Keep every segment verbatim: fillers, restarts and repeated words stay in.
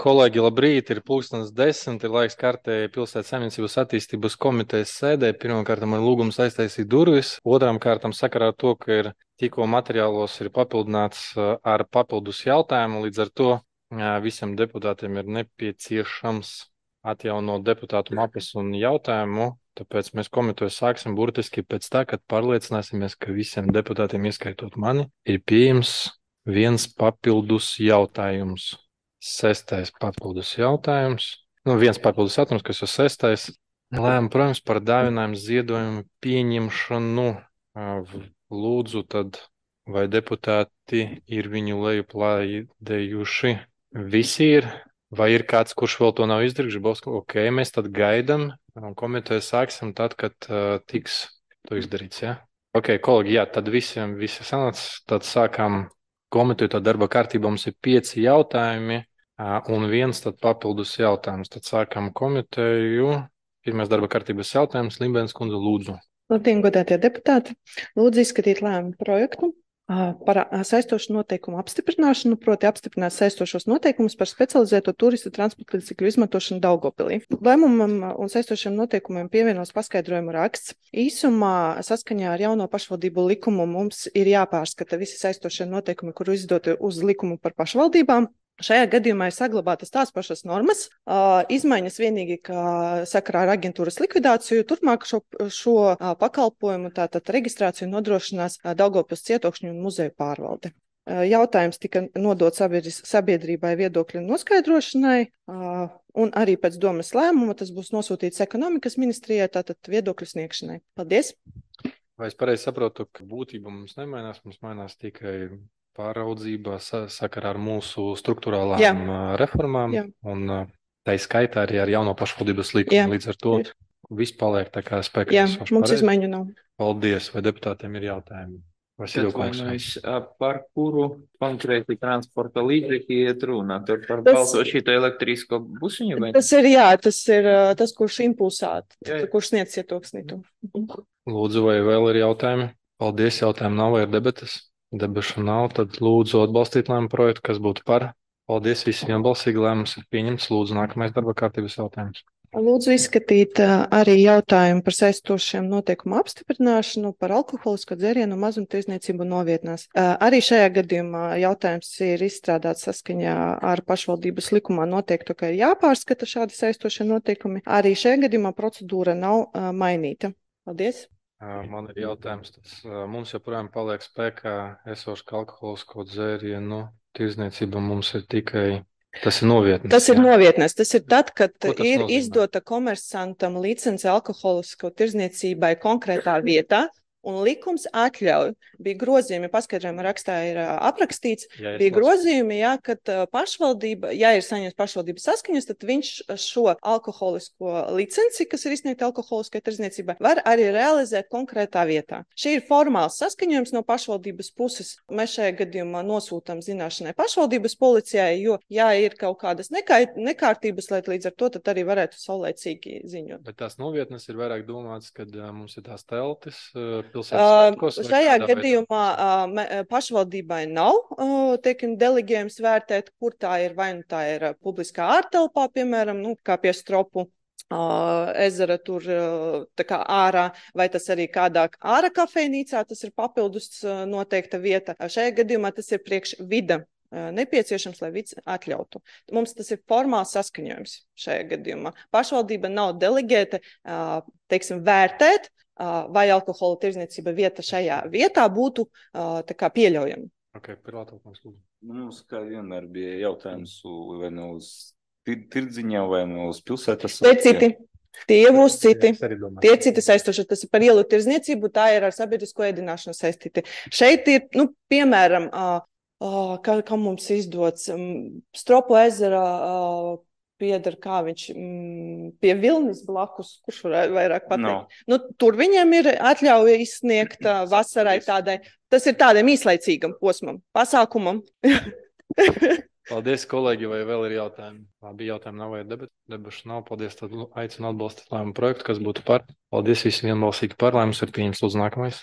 Kolēģi, labrīt, ir pulkstens desmit, ir laiks kārtēji pilsētas saimniecības attīstības komitejas sēdē. Pirmkārt, man lūgums aiztaisīt durvis. Otrām kārtām sakarā ar to, ka ir tikko materiālos ir papildināts ar papildus jautājumu. Līdz ar to visiem deputātiem ir nepieciešams atjaunot deputātu mapes un jautājumu. Tāpēc mēs komiteju sāksim burtiski pēc tā, kad pārliecināsimies, ka visiem deputātiem, ieskaitot mani, ir pieejams viens papildus jautājums. Sestais papildus jautājums. Nu, viens papildus jautājums, kas ir sestais. Lēma, protams, par dāvinājumu ziedojumu pieņemšanu. Lūdzu, tad vai deputāti ir viņu lejuplādējuši? Visi ir? Vai ir kāds, kurš vēl to nav izdarījis? Žibovs, ok, mēs tad gaidam. Komiteju sāksim tad, kad uh, tiks to izdarīts, jā? Ja? Ok, kolēģi, jā, tad visiem visi sanāc. Tad sākam komiteju, tad darba kārtībā mums ir pieci jautājumi. Un viens tad papildus jautājums. Tad sākam komiteju. Pirmais darba kārtības jautājums. Limbēns kundze, lūdzu. Labdien, godātie deputāti. Lūdzu izskatīt lēmumu projektu par saistošu noteikumu apstiprināšanu, proti apstiprināt saistošos noteikumus par specializēto turistu transporta līdzekļu izmantošanu Daugavpilī. Lēmumam un saistošiem noteikumiem pievienos paskaidrojumu raksts. Īsumā saskaņā ar jauno pašvaldību likumu mums ir jāpārskata visi saistošie noteikumi, kuru izdoti uz likumu par pašvaldībām. Šajā gadījumā ir saglabātas tās pašas normas, izmaiņas vienīgi, ka sakarā ar aģentūras likvidāciju turpmāk šo, šo pakalpojumu, tātad reģistrāciju nodrošinās Daugavpils cietokšņu un muzeju pārvalde. Jautājums tika nodots sabiedrībai viedokļu noskaidrošanai, un arī pēc domas lēmuma tas būs nosūtīts ekonomikas ministrijai, tātad viedokļu sniegšanai. Paldies! Vai es pareizi saprotu, ka būtība mums nemainās, mums mainās tikai pāraudzība sakarā ar mūsu struktūrālām Jā. reformām Jā. un tā skaitā arī ar jauno pašvaldības likumu. Līdz ar to ir. Viss paliek tā kā spēkā. Jā, mums izmaiņu nav. Paldies, vai deputātiem ir jautājumi? Atvainojos, par kuru konkrēti transporta līdzekļi iet runa? Tur par tas, balto šito elektrisko busiņu? Vai? Tas ir, jā, tas ir tas, kurš impulsāt, jā. kurš sniedz cietoksnītu. Lūdzu, vai vēl ir jautājumi? Paldies, jautājumi nav, vai ir debates? Debašu nav, tad lūdzu atbalstīt lēmumu projektu, kas būtu par. Paldies, visiem vienbalsīgi lēmums ir pieņemts. Lūdzu, nākamais darba kārtības jautājums. Lūdzu izskatīt arī jautājumu par saistošiem noteikumu apstiprināšanu par alkoholisko dzērienu mazumtirdzniecību novietnās. Arī šajā gadījumā jautājums ir izstrādāts saskaņā ar pašvaldības likumā noteikto, ka ir jāpārskata šādi saistošie noteikumi. Arī šajā gadījumā procedūra nav mainīta. Paldies! Man ir jautājums, tas mums joprojām paliek spēkā esošs alkoholisko dzērienu tirdzniecība mums ir tikai, tas ir novietnes. Tas ir jā. novietnes, tas ir tad, kad ir nozīmē? izdota komersantam licence alkoholisko tirdzniecībai konkrētā vietā. Un likums atļauj, bija grozījumi, paskaidrojuma rakstā ir aprakstīts, jā, bija grozījumi, jā, kad pašvaldība, ja ir saņemts pašvaldības saskaņas, tad viņš šo alkoholisko licenci, kas ir izsniegta alkoholiskai tirdzniecībai, var arī realizēt konkrētā vietā. Šī ir formāls saskaņojums no pašvaldības puses. Mēs šajā gadījumā nosūtam zināšanai pašvaldības policijai, jo, ja ir kaut kādas nekait, nekārtības, lai līdz ar to, tad arī varētu saulēcīgi ziņot. Bet tās novietnes ir vairāk domāts, kad uh, mums ir tās teltis, uh, Uh, šajā gadījumā uh, pašvaldībai nav uh, teikam, delegējums vērtēt, kur tā ir, vai nu tā ir uh, publiskā ārtelpā, piemēram, nu, kā pie Stropu uh, ezera tur uh, tā kā ārā, vai tas arī kādā ārā kafejnīcā, tas ir papildus uh, noteikta vieta. Uh, šajā gadījumā tas ir priekš vida uh, nepieciešams, lai vids atļautu. Mums tas ir formāls saskaņojums šajā gadījumā. Pašvaldība nav delegēta, uh, teiksim, vērtēt, vai alkohola tirdzniecība vieta šajā vietā būtu tā kā pieļaujama. Okay, lūdzu. Mums kā vienmēr bija jautājums vai ne uz tirdziņā, vai ne uz pilsētas. Tie citi. Tie būs citi. Tie citi saistoši. Tas ir par ielu tirdzniecību, tā ir ar sabiedrisko ēdināšanu saistīti. Šeit ir, nu, piemēram, kā, kā mums izdots Stropu ezera pieder, kā viņš mm, pie Vilnis blakus, kurš var vairāk pateikt. No. Nu, tur viņiem ir atļauja izsniegt uh, vasarai tādai, tas ir tādam īslaicīgam posmam, pasākumam. Paldies, kolēģi, vai vēl ir jautājumi? Labi, jautājumi nav vai debat, debašu nav. Paldies, tad aicinu atbalstīt lēmumu projektu, kas būtu par. Paldies visiem vienbalsīgi par, lai mums ir pieņems lūdzu nākamais.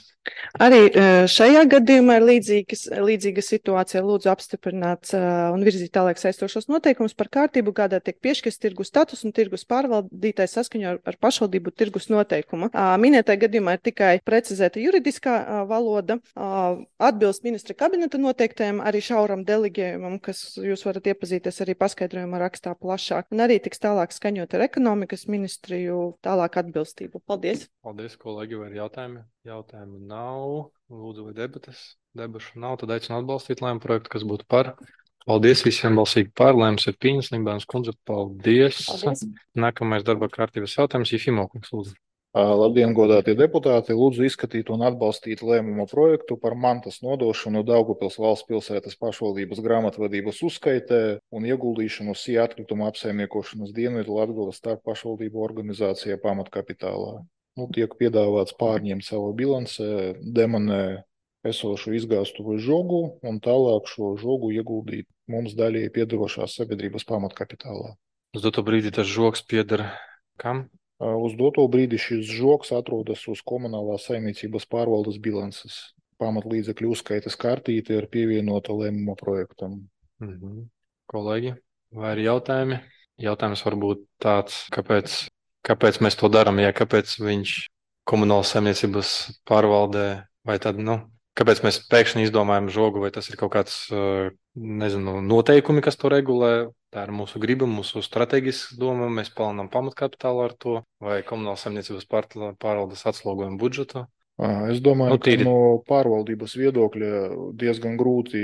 Arī šajā gadījumā ir līdzīgas, līdzīga situācija. Lūdzu apstiprināt un virzīt tālāk saistošos noteikumus par kārtību, kādā tiek piešķirts tirgus status un tirgus pārvaldītājs saskaņā ar, ar pašvaldību tirgus noteikumu. Minētajā gadījumā ir tikai precizēta juridiskā valoda, atbilst ministra kabineta noteiktajiem arī šauram delegējumam, kas jūs varat iepazīties arī paskaidrojumā rakstā plašāk, un arī tiks tālāk skaņot ar ekonomikas ministriju tālāk atbilstību. Paldies! Paldies, kolēģi, vai ir jautājumi? Jautājumu nav. Lūdzu, vai debatas? Debašu nav, tad aicinu atbalstīt lēmumu projektu, kas būtu par. Paldies visiem balsīgi par, lēmums ir pieņems, Limbānas kundze, paldies. Paldies. Nākamais darba kārtības jautājums, Jefimo kungs, lūdzu. Labdien, godātie deputāti! Lūdzu izskatīt un atbalstīt lēmumu projektu par mantas nodošanu Daugavpils valsts pilsētas pašvaldības grāmatvedības uzskaitē un ieguldīšanu S I A atkrituma apsaimniekošanas Dienvidu Latgales starp pašvaldību organizācijā pamatkapitālā. Nu, tiek piedāvāts pārņemt savu bilansē, demonē esošu izgāstuvu žogu un tālāk šo žogu ieguldīt mums daļai piedarošās sabiedrības pamatkapitālā. Uz doto brīdi tas žogs pieder kam? Uz doto brīdi šis žogs atrodas uz komunālās saimniecības pārvaldes bilances. Pamatlīdzekļu uzskaitas kartīte ir pievienota lēmuma projektam. Mhm. Kolēģi, vai ir jautājumi? Jautājums varbūt tāds, kāpēc, kāpēc mēs to darām, ja kāpēc viņš komunālas saimniecības pārvaldē, vai tad, nu, kāpēc mēs pēkšņi izdomājam žogu, vai tas ir kaut kāds, nezinu, noteikumi, kas to regulē, tā ir mūsu griba, mūsu strateģisks doma, mēs palielinām pamatkapitālu ar to, vai komunālas saimniecības pārvaldes atslogojam budžetu. Es domāju, Nu, tīri- ka no pārvaldības viedokļa diezgan grūti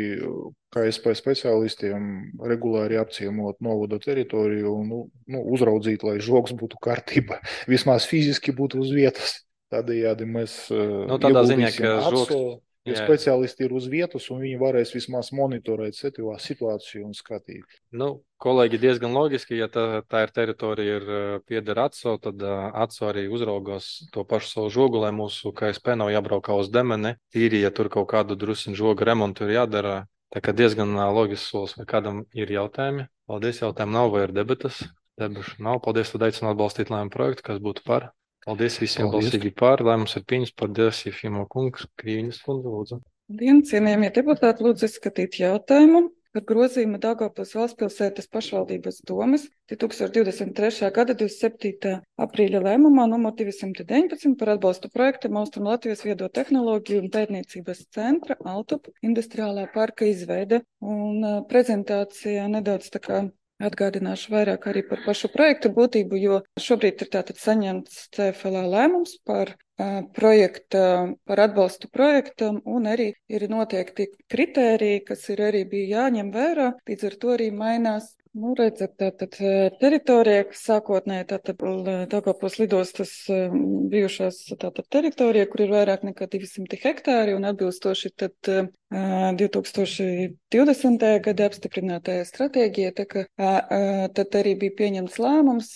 K S P speciālistiem regulāri apciemot novada teritoriju un nu, nu, uzraudzīt, lai žogs būtu kārtībā, vismaz fiziski būtu uz vietas. Tādējādi mēs Nu, tādā ziņā, ieguldīsim ka žogs- ATSO, ja jā. speciālisti ir uz vietas un viņi varēs vismaz monitorēt setivā situāciju un skatīt. Nu, kolēģi, diezgan loģiski, ja tā, tā ir teritorija, ir uh, pieder ATSO, tad uh, ATSO arī uzraugos to pašu savu žogu, lai mūsu K S P nav jābraukā uz Demeni. Tīri, ja tur kaut kādu drusiņu žoga remontu ir jādara, tā kā diezgan uh, loģisks solis, vai kādam ir jautājumi. Paldies, jautājumu nav, vai ir debatas? Debašu nav. Paldies, tad aicinu atbalstīt lēmumu projektu, kas būtu par. Paldies visiem Paldies. balsīgi par, lēmums ir pieņems. Paldies, Jefimo kungs, Krīviņas kundze, lūdzu. Labdien, cienījamie deputāti, lūdzu izskatīt jautājumu par grozījumu Daugavpils valsts pilsētas pašvaldības domes divs tūkstoši divdesmit trešā gada divdesmit septītā aprīļa lēmumā numur divsimt deviņpadsmit par atbalstu projektam Austrum Latvijas viedo tehnoloģiju un pētniecības centra Altup industriālā parka izveide. Un uh, prezentācijā nedaudz tā kā atgādināšu vairāk arī par pašu projektu būtību, jo šobrīd ir tātad saņemts C F L A lēmums par uh, projekta, par atbalstu projektam, un arī ir noteikti kritēriji, kas ir arī bija jāņem vērā, līdz ar to arī mainās. Nu, redzat, tātad teritorija, kas sākotnēji tātad Daugavpils lidostas bijušās tātad teritorija, kur ir vairāk nekā divsimt hektāri, un atbilstoši tad divi tūkstoši divdesmitajā gada apstiprinātajā stratēģijā, tā ka tad arī bija pieņemts lēmums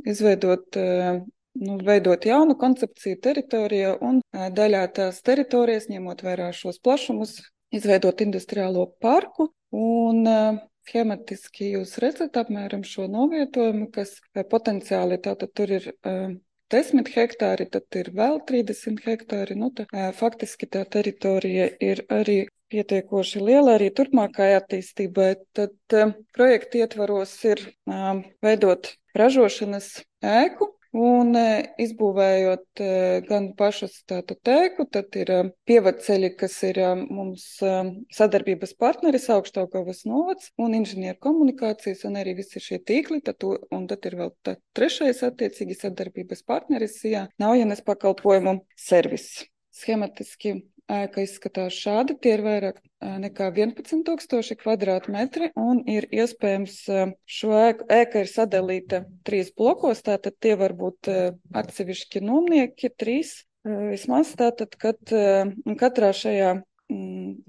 izveidot, nu, veidot jaunu koncepciju teritorijā un daļā tās teritorijas, ņemot vērā šos plašumus, izveidot industriālo parku un schematiski jūs redzat apmēram šo novietojumu, kas potenciāli tātad tur ir uh, desmit hektāri, tad ir vēl trīsdesmit hektāri. Nu, tā, uh, faktiski tā teritorija ir arī pietiekoši liela arī turpmākai attīstībai. Tad uh, projekta ietvaros ir uh, veidot ražošanas ēku. Un izbūvējot gan pašas tātad tēku, tad ir pievadceļi, kas ir mums sadarbības partneris Augšdaugavas novads un inženieru komunikācijas un arī visi šie tīkli, tad, un tad ir vēl tā trešais attiecīgi sadarbības partneris, jā, Naujenes pakalpojumu servis. Schematiski ēka izskatās šādi, tie ir vairāk nekā vienpadsmit tūkstoši kvadrātmetri un ir iespējams šo ēku, ēka ir sadalīta trīs blokos, tātad tie var būt atsevišķi nomnieki, trīs vismaz, tātad, kad katrā šajā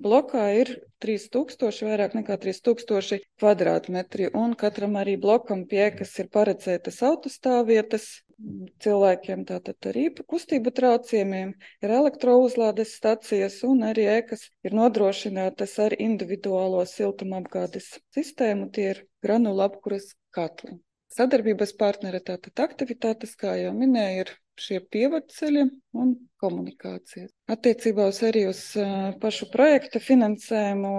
blokā ir trīs tūkstoši, vairāk nekā trīs tūkstoši kvadrātmetri un katram arī blokam pie ēkas ir paredzētas autostāvvietas, cilvēkiem tātad arī kustību traucējumiem, ir elektrouzlādes stacijas un arī ēkas ir nodrošinātas ar individuālo siltumapgādes sistēmu, tie ir granulu apkuras katli. Sadarbības partneri tātad aktivitātes, kā jau minēju, ir šie pievadceļi un komunikācijas. Attiecībā uz arī uz uh, pašu projekta finansējumu,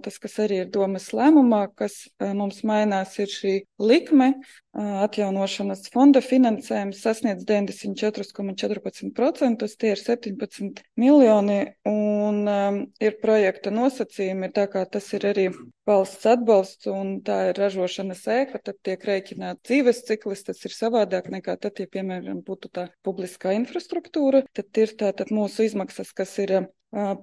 tas, kas arī ir domas lēmumā, kas uh, mums mainās, ir šī likme. Uh, atjaunošanas fonda finansējums sasniedz deviņdesmit četri komats četrpadsmit procenti, tie ir septiņpadsmit miljoni, un um, ir projekta nosacījumi, tā kā tas ir arī valsts atbalsts un tā ir ražošanas ēka, tad tiek rēķināt dzīves ciklis, tas ir savādāk nekā tad, ja, piemēram, būtu tā publiskā infrastruktūra, tad ir tātad mūsu izmaksas, kas ir uh,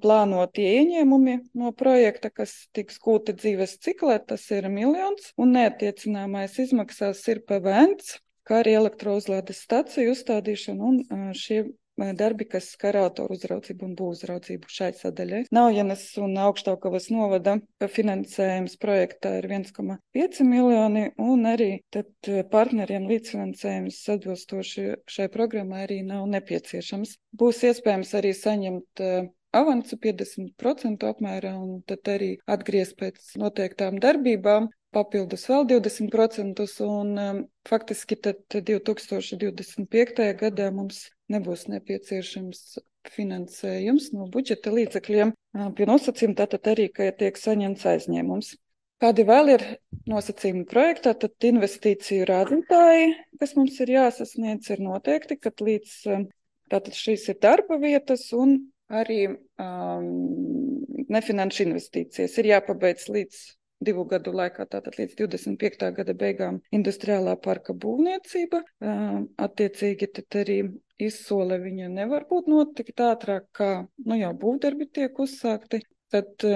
plānotie ieņēmumi no projekta, kas tiks gūti dzīves ciklē, tas ir miljons, un neattiecināmais izmaksās ir P V N, kā arī elektrouzlādes staciju uzstādīšana un uh, šie darbi, kas skar autoru uzraudzību un būvuzraudzību šai sadaļai. Naujenes un Augšdaugavas novada finansējums projektā ir viens komats pieci miljoni, un arī tad partneriem līdzfinansējums atbilstoši šai programmai arī nav nepieciešams. Būs iespējams arī saņemt avansu piecdesmit procentu apmērā, un tad arī atgriezt pēc noteiktām darbībām, papildus vēl divdesmit procentus, un um, faktiski tad divi tūkstoši divdesmit piektajā gadā mums nebūs nepieciešams finansējums no budžeta līdzekļiem pie nosacījuma, tātad arī, ka tiek saņemts aizņēmums. Kādi vēl ir nosacījumi projektā, tad investīciju rādītāji, kas mums ir jāsasniedz, ir noteikti, kad līdz, tātad šīs ir darba vietas un arī um, nefinanšu investīcijas ir jāpabeidz līdz divu gadu laikā, tātad līdz divdesmit piektā gada beigām industriālā parka būvniecība. Attiecīgi tad arī izsole viņa nevar būt notikt ātrāk, kā nu jau būvdarbi tiek uzsākti. Tad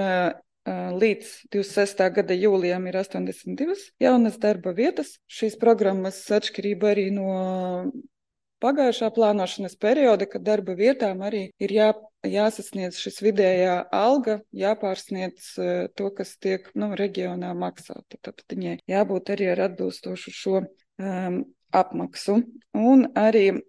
līdz divdesmit sestā gada jūlijam ir astoņdesmit divas jaunas darba vietas. Šīs programmas atšķirība arī no pagājušā plānošanas perioda, kad darba vietām arī ir jā, jāsasniedz šis vidējā alga, jāpārsniedz to, kas tiek nu, reģionā maksāta. Tad viņai jābūt arī ar atbilstošu šo um, apmaksu. Un arī um,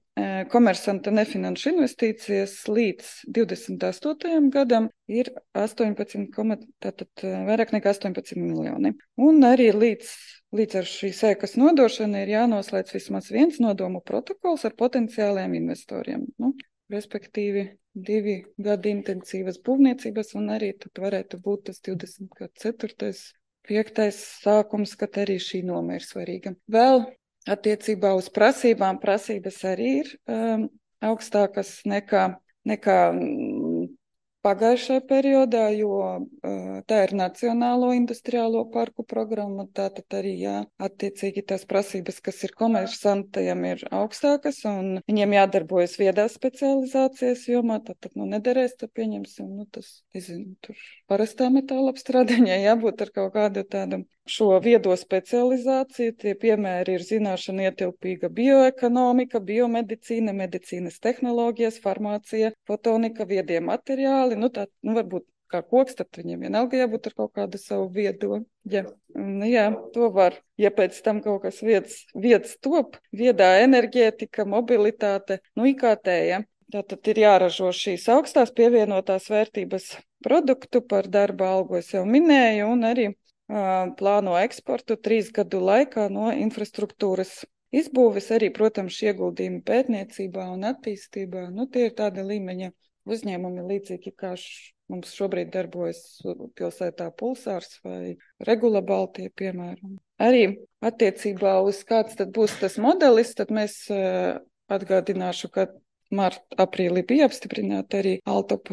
komersanta nefinanšu investīcijas līdz divdesmit astotajam gadam ir astoņpadsmit, tātad vairāk nekā astoņpadsmit miljoni. Un arī līdz Līdz ar šīs ēkas nodošanu ir jānoslēdz vismaz viens nodomu protokols ar potenciāliem investoriem. Nu, respektīvi, divi gadi intensīvas būvniecības, un arī tad varētu būt tas divdesmit ceturtais, piektais sākums, kad arī šī noma ir svarīga. Vēl attiecībā uz prasībām, prasības arī ir um, augstākas nekā, nekā pagājušajā periodā, jo uh, tā ir Nacionālo industriālo parku programma, tātad arī jā, attiecīgi tās prasības, kas ir komersantajiem, ir augstākas, un viņiem jādarbojas viedās specializācijas jomā, tātad nu nederēs, tad pieņemsim, nu tas, nezinu, tur parastā metāla apstrādāņai jābūt ar kaut kādu tādu šo viedo specializāciju. Tie piemēri ir zināšana ietilpīga bioekonomika, biomedicīna, medicīnas tehnoloģijas, farmācija, fotonika, viedie materiāli. Nu, tā, nu, varbūt kā koks, tad viņiem vienalga jābūt ar kaut kādu savu viedo. Ja. Un, jā, to var. Ja pēc tam kaut kas vietas, vietas top, viedā enerģētika, mobilitāte, nu, I K T, ja. Tātad ir jāražo šīs augstās pievienotās vērtības produktu par darba algu, es jau minēju, un arī plāno eksportu trīs gadu laikā no infrastruktūras izbūves, arī, protams, ieguldījumi pētniecībā un attīstībā. Nu, tie ir tāda līmeņa uzņēmumi līdzīgi, kā š, mums šobrīd darbojas pilsētā Pulsārs vai Regula Baltija, piemēram. Arī attiecībā uz kāds tad būs tas modelis, tad mēs atgādināšu, ka marta, aprīlī bija apstiprināta arī Altop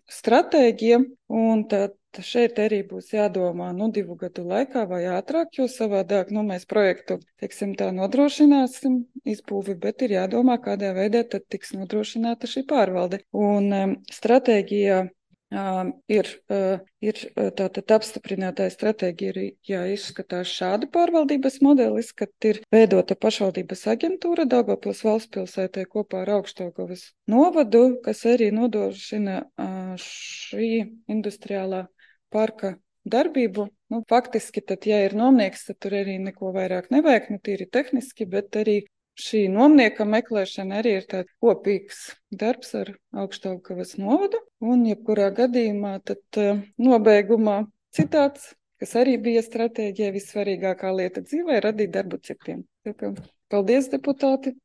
stratēģija, un tad šeit arī būs jādomā nu, divu gadu laikā vai ātrāk, jo savādāk nu, mēs projektu, teiksim, tā nodrošināsim izbūvi, bet ir jādomā, kādā veidā tad tiks nodrošināta šī pārvalde. Un um, stratēģijā um, ir, uh, ir tātad apstiprinātāja stratēģija ir jāizskatās šāda pārvaldības modelis, kad ir veidota pašvaldības aģentūra Daugavpils valstspilsētē kopā ar Augšdaugavas novadu, kas arī nodrošina uh, šī industriālā parka darbību. Nu, faktiski, tad, ja ir nomnieks, tad tur arī neko vairāk nevajag, nu tīri tehniski, bet arī šī nomnieka meklēšana arī ir tāds kopīgs darbs ar Augšdaugavas novadu, un jebkurā gadījumā tad nobeigumā citāts, kas arī bija stratēģija, vissvarīgākā lieta dzīvē, radīt darbu citiem. Tā kā, paldies, deputāti!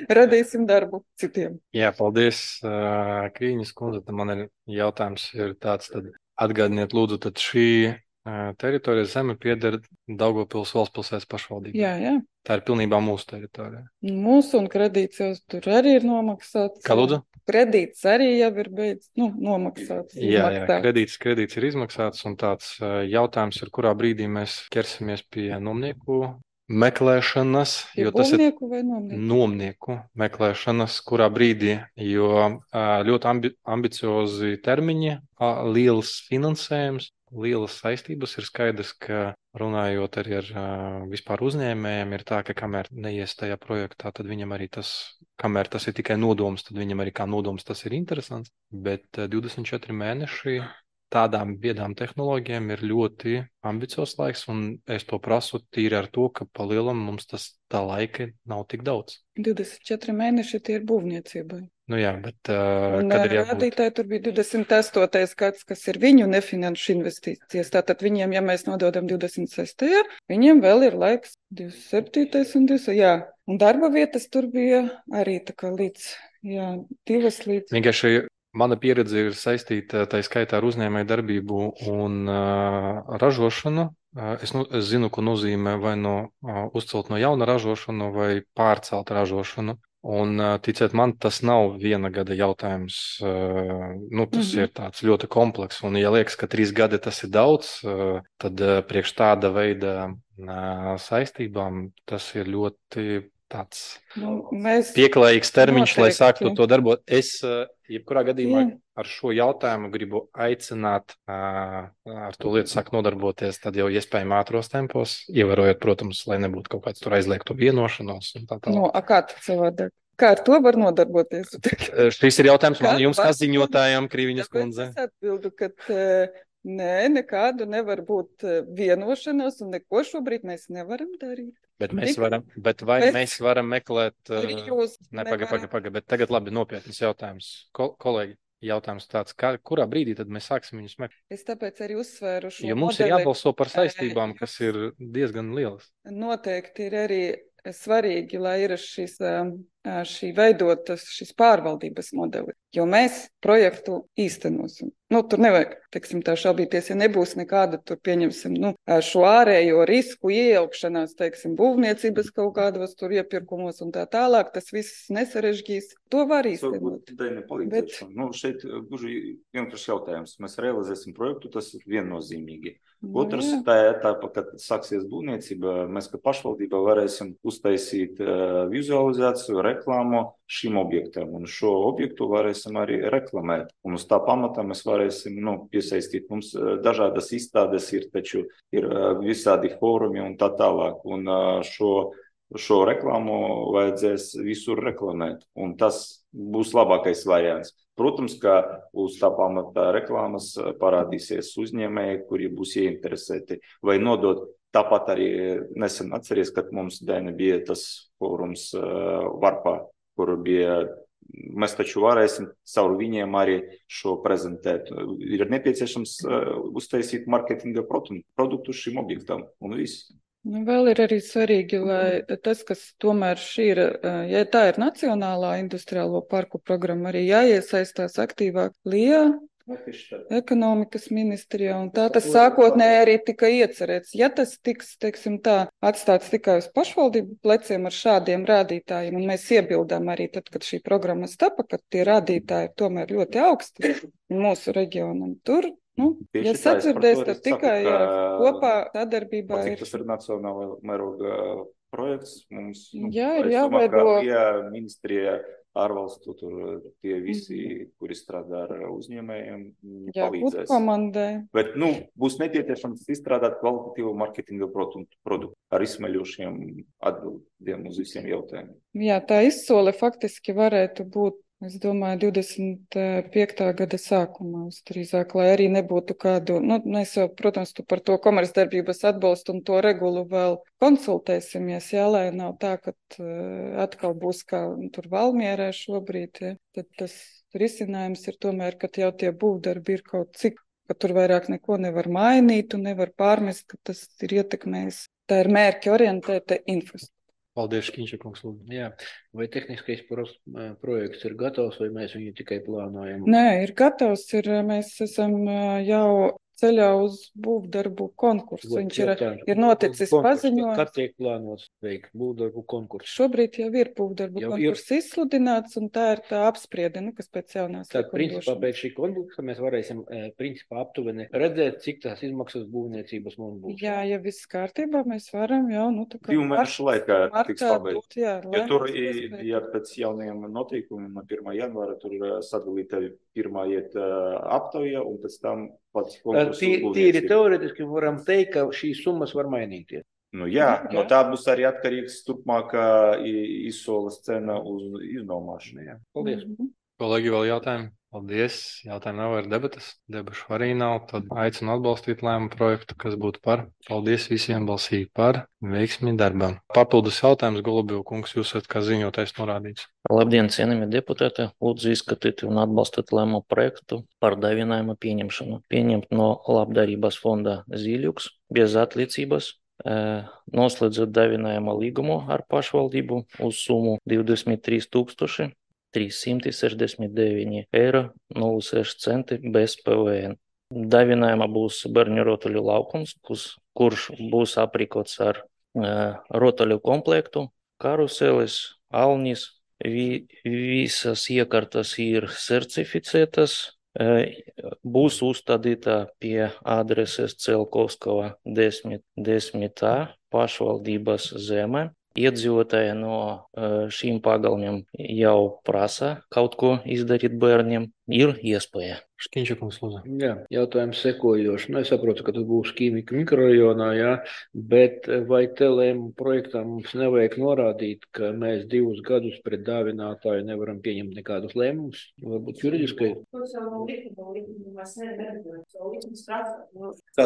radīsim darbu citiem. Jā, paldies, uh, Krīņas kundze. Tad man ir jautājums ir tāds, tad atgādiniet lūdzu, tad šī uh, teritorija zeme pieder Daugavpils valsts pilsētas pašvaldībai. Jā, jā. Tā ir pilnībā mūsu teritorija. Mūsu un kredīts jau tur arī ir nomaksāts. Kā lūdzu? Kredīts arī jau ir beidz, nu, nomaksāts. Jā, jā, izmaksāts. kredīts, kredīts ir izmaksāts, un tāds uh, jautājums ir, kurā brīdī mēs ķersimies pie nomnieku meklēšanas, Pie jo tas ir būvnieku vai nomnieku? nomnieku meklēšanas, kurā brīdī, jo ā, ļoti ambi ambiciozi termiņi, ā, liels finansējums, lielas saistības. Ir skaidrs, ka runājot arī ar ā, vispār uzņēmējiem, ir tā, ka kamēr neies tajā projektā, tad viņam arī tas, kamēr tas ir tikai nodoms, tad viņam arī kā nodoms tas ir interesants, bet ā, divdesmit četri mēneši tādām biedām tehnoloģijām ir ļoti ambiciozs laiks, un es to prasu tīri ar to, ka pa lielam mums tas tā laika nav tik daudz. divdesmit četri mēneši tie ir būvniecībai. Nu jā, bet uh, Un kad ir jābūt... rādītāji tur bija divdesmit astotais gads, kas ir viņu nefinanšu investīcijas. Tātad viņiem, ja mēs nododam divdesmit sestajā, viņiem vēl ir laiks divdesmit septītais un divdesmit jā. Un darba vietas tur bija arī tā kā līdz, jā, divas līdz... Vienkārši mana pieredze ir saistīta tā skaitā ar uzņēmēju darbību un uh, ražošanu. Uh, es, nu, es zinu, ko nozīmē vai no uh, uzcelt no jauna ražošanu vai pārcelt ražošanu. Un, uh, ticiet man, tas nav viena gada jautājums. Uh, nu, tas Mhm. ir tāds ļoti komplekss. Un, ja liekas, ka trīs gadi tas ir daudz, uh, tad uh, priekš tāda veida uh, saistībām tas ir ļoti tāds Nu, mēs... pieklājīgs termiņš, lai Noteikti. sāktu to darbot. Es, uh, jebkurā gadījumā, Jā. ar šo jautājumu gribu aicināt uh, ar to lietu sākt nodarboties, tad jau iespējami ātros tempos, ievērojot, protams, lai nebūtu kaut kāds tur aizliegtu vienošanos un tā tālāk. Nu, a kā tad savādāk? Kā ar to var nodarboties? Uh, Šis ir jautājums man Kā jums, var- kā ziņotājām, Krīviņas Tāpēc kundze. es atbildu, ka eh, nē, nekādu nevar būt eh, vienošanos un neko šobrīd mēs nevaram darīt. Bet mēs Tikai- varam, bet vai Mēs- mēs varam meklēt... Arī Uh, jūs ne, paga, nevarat. paga, paga, bet tagad labi nopietnas jautājums. Kol kolēģi, jautājums tāds, kā, kurā brīdī tad mēs sāksim viņus meklēt? Es tāpēc arī uzsvēru šo Jo mums ir modeli. jābalso par saistībām, Eh, kas ir diezgan lielas. Noteikti ir arī svarīgi, lai ir šis, um, uh, šī veidotas šis pārvaldības modelis, jo mēs projektu īstenosim. Nu, tur nevajag, teiksim, tā šaubīties, ja nebūs nekāda, tur pieņemsim, nu, uh, šo ārējo risku iejaukšanās, teiksim, būvniecības kaut kādos tur iepirkumos un tā tālāk, tas viss nesarežģīs. To var īstenot. Varbūt Daina palīdzēšana. Nu, šeit uh, gluži vienkārši jautājums. Mēs realizēsim projektu, tas ir viennozīmīgi. Otrs, Nu, jā. tā etapa, kad sāksies būvniecība, mēs kā pašvaldība varēsim uztaisīt uh, vizualizāciju, reklāmu šim objektam, un šo objektu varēsim arī reklamēt. Un uz tā pamata mēs varēsim, nu, piesaistīt. Mums uh, dažādas izstādes ir, taču ir uh, visādi fórumi un tā tālāk. Un uh, šo, šo reklāmu vajadzēs visur reklamēt, un tas būs labākais variants. Protams, ka uz tā pamata reklāmas parādīsies uzņēmēji, kuri būs ieinteresēti vai nodot. Tāpat arī nesen atceries, kad mums Daina bija tas fórums uh, Varpā, kur bija, mēs taču varēsim caur viņiem arī šo prezentēt. Ir nepieciešams uh, uztaisīt marketinga produktu šim objektam un viss. Nu, vēl ir arī svarīgi, lai tas, kas tomēr šī ir, eh, ja tā ir Nacionālā industriālo parku programma, arī jāiesaistās aktīvāk Lijā, ekonomikas ministrijā, un tā tas sākotnēji arī tika iecerēts. Ja tas tiks, teiksim tā, atstāts tikai uz pašvaldību pleciem ar šādiem rādītājiem, un mēs iebildām arī tad, kad šī programma stapa, ka tie rādītāji ir tomēr ļoti augsti mūsu reģionam, tur, nu, Tieši ja tā, es par to sadzirdēs, arī tad saku, tikai ka- jā, kopā sadarbībā Pat cik ir. tas ir nacionāla mēroga projekts, mums, nu, Jā, ir es domāju, ka jāveido. Lijā ministrija ārvalstu, tur tie visi, kuri strādā ar uzņēmējiem, Jābūt palīdzēs. komandai. Bet, nu, būs nepieciešams izstrādāt kvalitatīvu marketinga produktu, produktu ar izsmeļošiem atbildiem uz visiem jautājumiem. Jā, tā izsole faktiski varētu būt, es domāju, divdesmit piektā gada sākumā drīzāk, lai arī nebūtu kādu, nu, mēs jau, protams, tu par to komercdarbības atbalstu un to regulu vēl konsultēsimies, jā, lai nav tā, ka uh, atkal būs kā tur Valmierē šobrīd, ja, tad tas risinājums ir tomēr, ka jau tie būvdarbi ir kaut cik, ka tur vairāk neko nevar mainīt un nevar pārmest, ka tas ir ietekmējis. Tā ir mērķi orientēta infrastruktūra. Paldies, Škiņšakungs, lūdzu. Jā, vai tehniskais pros- projekts ir gatavs, vai mēs viņu tikai plānojam? Nē, ir gatavs, ir, mēs esam ā, jau ceļā uz būvdarbu konkursu. Vot Viņš ir, jautājums. ir noticis Konkurss, paziņojums. Kad tiek plānots veikt būvdarbu konkursu? Šobrīd jau ir būvdarbu Jau ir. konkurss izsludināts, un tā ir tā apspriede, nu, kas pēc jaunās Tad, principā, likumdošanas. pēc šī konkursa mēs varēsim, eh, principā, aptuveni redzēt, cik tās izmaksas būvniecības mums būs. Jā, ja viss kārtībā, mēs varam jau, nu, tā kā Divu mēnešu laikā tiks martā pabeigts. dot, jā, Jo lai tur, mēs i- paspētu. ja pēc jaunajiem noteikumiem no pirmā janvāra tur ir sadalīta pirmā iet uh, aptauja un pēc tam pats konkurss uz Tī- Tīri būvniecību. teoretiski varam teikt, ka šīs summas var mainīties. Nu jā, Jā, no jā. tā būs arī atkarīgs turpmākā i- izsoles cena uz iznomāšanu. Jā. Paldies. Mhm. Kolēģi, vēl jautājumi? Paldies. Jautājumi nav, ir debatas. Debašu arī nav. Tad aicinu atbalstīt lēmumu projektu, kas būtu par. Paldies visiem balsīgi par. Veiksmi darbam. Papildus jautājums, Golubiju kungs, jūs esat kā ziņotājs norādīts. Labdien, cienījamie deputāti! Lūdzu izskatīt un atbalstīt lēmumu projektu par dāvinājuma pieņemšanu. Pieņemt no labdarības fonda Zīļuks bez atliecības, eh, noslēdzot dāvinājuma līgumu ar pašvaldību uz summu divdesmit trīs tūkstoši trīssimti sešdesmit deviņi eiro nulle seši centi bez P V N. Dāvinājumā būs bērnu rotaļu laukums, kus, kurš būs aprīkots ar eh, rotaļu komplektu, karuseles, alnis. Vi, visas iekārtas ir certificētas, e, būs uzstādīta pie adreses Celkovskava desmit desmit A pašvaldības zeme. Iedzīvotāji no e, šīm pagalmiem jau prasa kaut ko izdarīt bērniem, ir iespēja. Škiņšakungs, lūdzu. Jā, jautājums sekojoši. Nu, es saprotu, ka tas būs ķīmika mikrorajonā, jā, bet vai te lēmumu projektā mums nevajag norādīt, ka mēs divus gadus pret dāvinātāju nevaram pieņemt nekādus lēmumus? Varbūt juridiskai.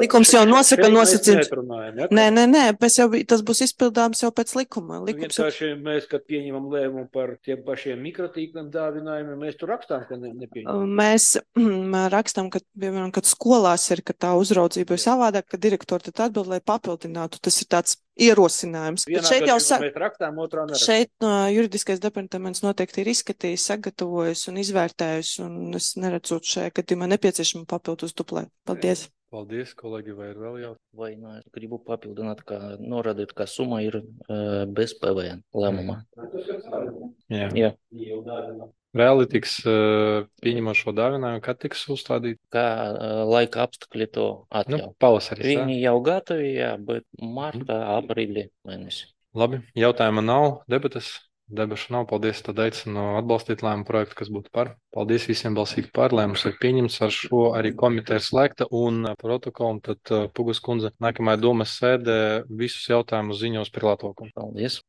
Likums jau nosaka Šeit mēs nosacījums. neatrunājam, ja? Nē, nē, nē, mēs jau, tas būs izpildāms jau pēc likuma. Nu, Likums jau vienkārši mēs, kad pieņemam lēmumu par tiem pašiem mikrotīkliem dāvinājumiem, mēs tur rakstām, ka ne, nepieņemam. Mēs rakstām, ka, piemēram, kad skolās ir, ka tā uzraudzība ir savādāk, ka direktori tad atbild, lai papildinātu. Tas ir tāds ierosinājums. Bet Vienā šeit jau gadījumā sa... mēs rakstām, otrā nerakstām. Šeit no juridiskais departaments noteikti ir izskatījis, sagatavojis un izvērtējis, un es neredzu šajā gadījumā nepieciešama papildus duplēt. Paldies. Paldies, kolēģi, vai ir vēl jautājumi? Vai nu es gribu papildināt, ka norādīt, ka summa ir e, bez P V N lēmumā. Jā. Jā. Reāli tiks uh, pieņemot šo dāvinājumu, kad tiks uzstādīt? Kā e, laika apstākļi to Nu, atļauj. pavasarī. Viņi jau gatavi, jā, bet martā, aprīlī mēnesī. Labi, jautājuma nav, debatas. Debašu nav. Paldies, tad aicinu atbalstīt lēmumu projektu, kas būtu par. Paldies visiem balsīgi par. Lēmums ir pieņemts, ar šo arī komiteja ir slēgta un protokolu. Tad uh, Pugas kundze nākamajā domas sēdē visus jautājumus ziņos par Latviju. Paldies!